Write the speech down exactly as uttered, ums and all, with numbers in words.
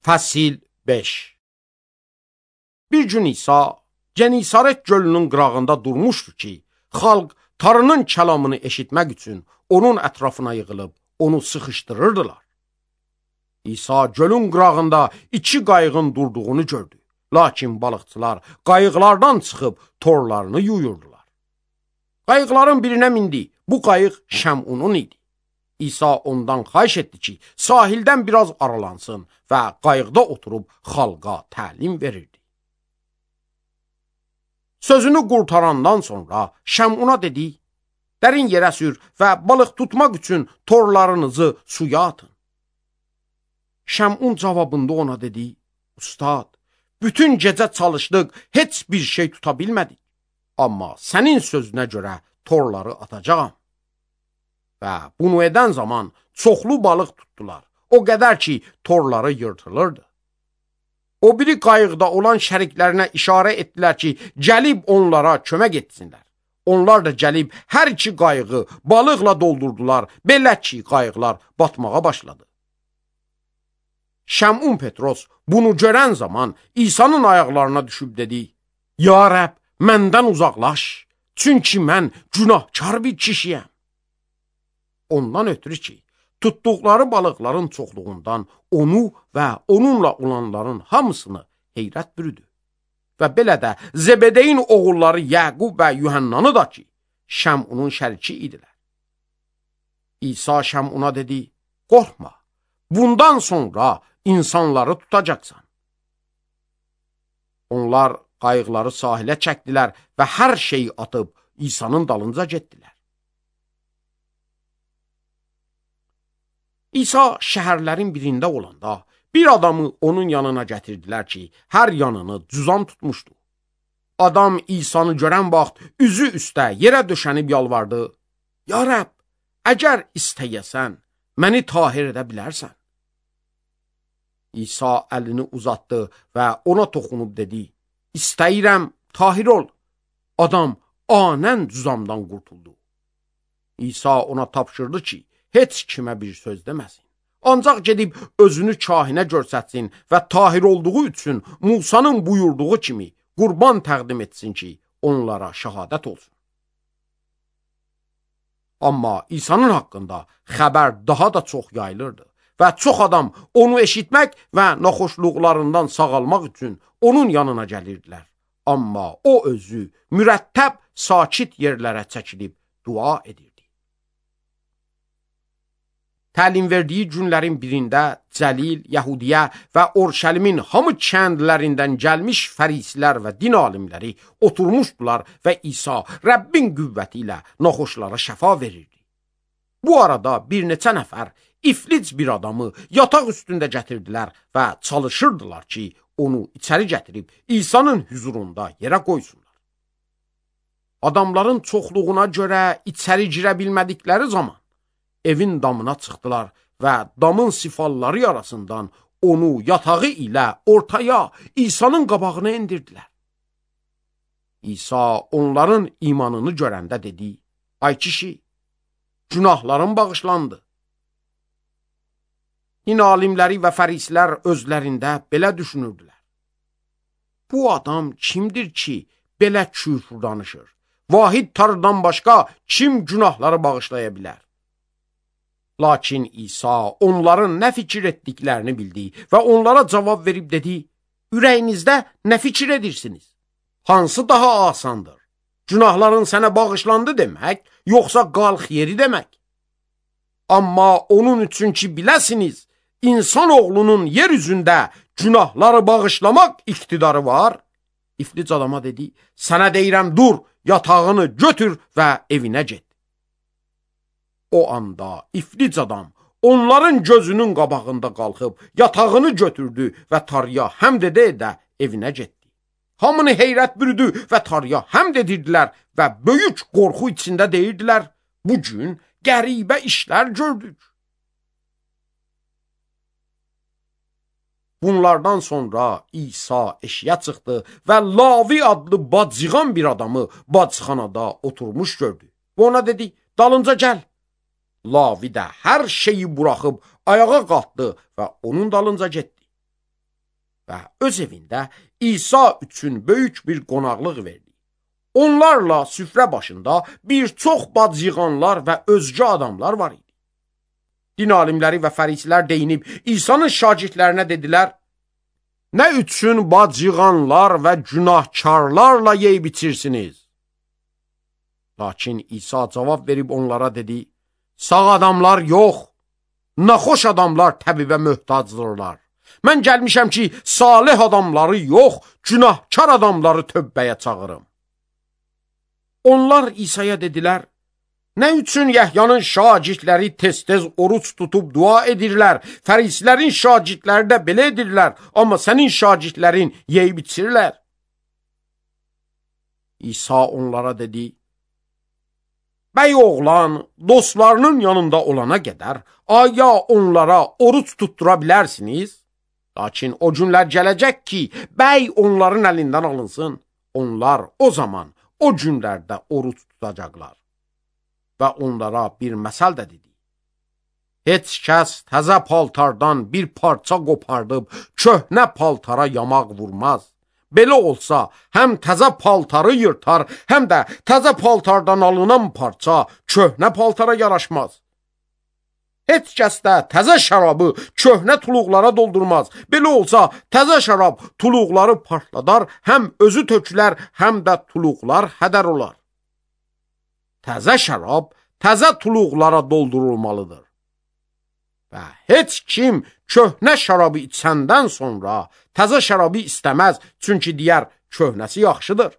Fəsil beş. Bir gün İsa Genesaret gölünün qırağında durmuşdu ki, xalq Tanrının kəlamını eşitmək üçün onun ətrafına yığılıb onu sıxışdırırdılar. İsa gölün qırağında iki qayığın durduğunu gördü. Lakin balıqçılar qayıqlardan çıxıb torlarını yuyurdular. Qayıqların birinə mindi. Bu qayıq Şəmunun idi. İsa ondan xahiş etdi ki, sahildən biraz aralansın və qayıqda oturub xalqa təlim verirdi. Sözünü qurtarandan sonra Şəmuna dedi, dərin yerə sür və balıq tutmaq üçün torlarınızı suya atın. Şəmun cavabında ona dedi, Ustad, bütün gecə çalışdıq, heç bir şey tuta bilmədik. Amma sənin sözünə görə torları atacağam. Və bunu edən zaman çoxlu balıq tutdular. O qədər ki, torları yırtılırdı. O biri qayıqda olan şəriklərinə işarə etdilər ki, gəlib onlara kömək etsinlər. Onlar da gəlib hər iki qayığı balıqla doldurdular. Belə ki, qayıqlar batmağa başladı. Şəmun Petros bunu görən zaman İsa'nın ayaqlarına düşüb dedi, Ya Rəbb, məndən uzaqlaş, çünki mən günahkar bir kişiyəm. Ondan ötürü ki, tutduqları balıqların çoxluğundan onu və onunla olanların hamısını heyrət bürüdü. Və belə də Zebedeyin oğulları Yəqub və Yuhannanı da ki, Şəmunun şəriki idilər. İsa Şəmuna dedi, qorxma, bundan sonra insanları tutacaqsan. Onlar qayıqları sahilə çəkdilər və hər şeyi atıb İsa'nın dalınca getdilər. İsa şəhərlərin birində olanda bir adamı onun yanına gətirdilər ki, hər yanını cüzam tutmuşdu. Adam İsa'nı görən vaxt üzü üstə yerə döşənib yalvardı. Ya Rəbb, əgər istəyəsən, məni tahir edə bilərsən. İsa əlini uzatdı və ona toxunub dedi, İstəyirəm, tahir ol. Adam anən cüzamdan qurtuldu. İsa ona tapşırdı ki, heç kimə bir söz deməsin. Ancaq gedib özünü kahinə görsətsin və tahir olduğu üçün Musanın buyurduğu kimi qurban təqdim etsin ki, onlara şəhadət olsun. Amma İsa'nın haqqında xəbər daha da çox yayılırdı və çox adam onu eşitmək və naxoşluqlarından sağalmaq üçün onun yanına gəlirdilər. Amma o özü mürəttəb sakit yerlərə çəkilib dua edirdi. Təlim verdiyi günlərin birində Cəlil, Yəhudiyə və Orşəlimin hamı kəndlərindən gəlmiş fərisilər və din alimləri oturmuşdular və İsa Rəbbin qüvvəti ilə naxoşlara şəfa verirdi. Bu arada bir neçə nəfər iflic bir adamı yataq üstündə gətirdilər və çalışırdılar ki, onu içəri gətirib İsa'nın hüzurunda yerə qoysunlar. Adamların çoxluğuna görə içəri girə bilmədikləri zaman evin damına çıxdılar və damın sifalları arasından onu yatağı ilə ortaya İsa'nın qabağına endirdilər. İsa onların imanını görəndə dedi, Ay kişi, günahların bağışlandı. Din alimləri və fərisilər özlərində belə düşünürdülər. Bu adam kimdir ki, belə küfr danışır? Vahid Tanrıdan başqa kim günahları bağışlaya bilər? Lakin İsa onların nə fikir etdiklərini bildi və onlara cavab verib dedi, ürəyinizdə nə fikir edirsiniz? Hansı daha asandır? Günahların sənə bağışlandı demək, yoxsa qalx yeri demək? Amma onun üçün ki biləsiniz, insan oğlunun yer üzündə günahları bağışlamaq iqtidarı var. İflic adama dedi, sənə deyirəm dur, yatağını götür və evinə get. O anda iflic adam onların gözünün qabağında qalxıb yatağını götürdü və Tanrıya həmd edə-edə evinə getdi. Hamını heyrət bürüdü və Tanrıya həmd edirdilər və böyük qorxu içində deyirdilər, bu gün qəribə işlər gördük. Bunlardan sonra İsa eşiyə çıxdı və Lavi adlı bacıqan bir adamı bacıxanada oturmuş gördü. Və ona dedi, dalınca gəl. Lavi də hər şeyi buraxıb ayağa qalxdı və onun dalınca getdi. və öz evində İsa üçün böyük bir qonaqlıq verdi. Onlarla süfrə başında bir çox bad yığanlar və özgə adamlar var idi. Din alimləri və fərisilər deyinib İsa'nın şagirdlərinə dedilər: "Nə üçün bad yığanlar və günahkarlarla yeyib içirsiniz?" Lakin İsa cavab verib onlara dedi: "Sağ adamlar yox, naxoş adamlar təbibə möhtacdırlar. Mən gəlmişəm ki, salih adamları yox, günahkar adamları tövbəyə çağırım." Onlar İsa'ya dedilər: "Nə üçün Yəhyanın şagirdləri tez-tez oruç tutub dua edirlər, fərislərin şagirdləri də belə edirlər, amma sənin şagirdlərin yeyib içirlər?" İsa onlara dedi: "Bəy oğlan dostlarının yanında olana qədər aya onlara oruç tuttura bilərsiniz? Lakin o günlər gələcək ki, bəy onların əlindən alınsın. Onlar o zaman o günlərdə oruç tutacaqlar." Və onlara bir məsəl də dedi: "Heç kəs təzə paltardan bir parça qopardıb köhnə paltara yamaq vurmaz. Belə olsa, həm təzə paltarı yırtar, həm də təzə paltardan alınan parça köhnə paltara yaraşmaz. Heç kəs də təzə şərabı köhnə tuluqlara doldurmaz. Belə olsa, təzə şərab tuluqları partladar, həm özü tökülər, həm də tuluqlar hədər olar. Təzə şərab təzə tuluqlara doldurulmalıdır. Və heç kim köhnə şərabı içəndən sonra təzə şərabı istəməz, çünki deyər, köhnəsi yaxşıdır.